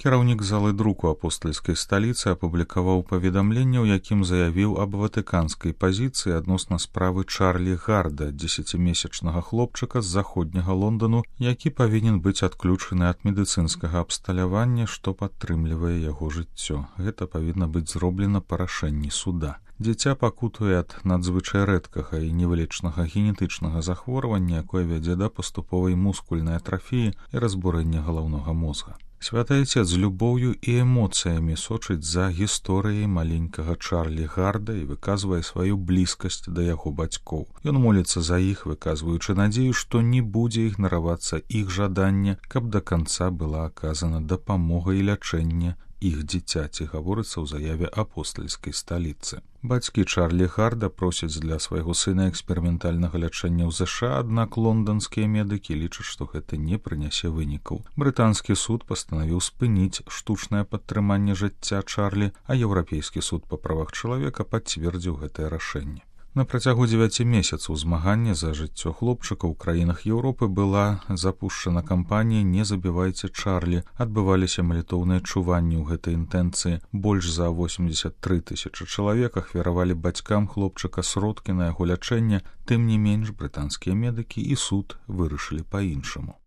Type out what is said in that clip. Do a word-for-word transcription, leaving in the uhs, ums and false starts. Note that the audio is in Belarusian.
Кіраўнік залы друку апостальскай сталіцы апублікаваў паведамленне, у якім заявіў аб ватыканскай пазіцыі адносна справы Чарлі Гарда, дзесяцімесячнага хлопчыка з заходняга Лондану, які павінен быць адключаны ад медыцынскага абсталявання, што падтрымлівае яго жыццё. Гэта павінна быць зроблена па рашэнні суда. Дзіця пакутуе ад надзвычай рэдкага і невылечнага генетычнага захворвання, якое вядзе да паступовай мускульнай атрафіі і разбурэння галаўнога мозга. Святы Айцец з любоўю і эмоцыямі сочыць за гісторыяй маленькага Чарлі Гарда і выказвае сваю блізкасць да яго бацькоў. Ён моліцца за іх, выказваючы надзею, што не будзе ігнаравацца іх жаданне, каб да канца была аказана дапамога і лячэнне іх дзіцяці, гаворыцца ў заяве апостальскай сталіцы. Бацькі Чарлі Гарда просяць для свайго сына эксперыментальнага лячэння ў ЗША, аднак лонданскія медыкі лічаць, што гэта не прынясе вынікаў. Брытанскі суд пастанавіў спыніць штучнае падтрыманне жыцця Чарлі, а Еўрапейскі суд па правах чалавека пацвердзіў гэтае рашэнне. На працягу дзевяці месяцаў змагання за жыццё хлопчыка ў краінах Еўропы была запушчана кампанія «Не забівайце Чарлі». Адбываліся малітоўныя чуванні ў гэтай інтэнцыі. Больш за восемдзесят тры тысячы чалавек ахвяравалі бацькам хлопчыка сродкі на яго лячэнне. Тым не менш, брытанскія медыкі і суд вырашылі па-іншаму.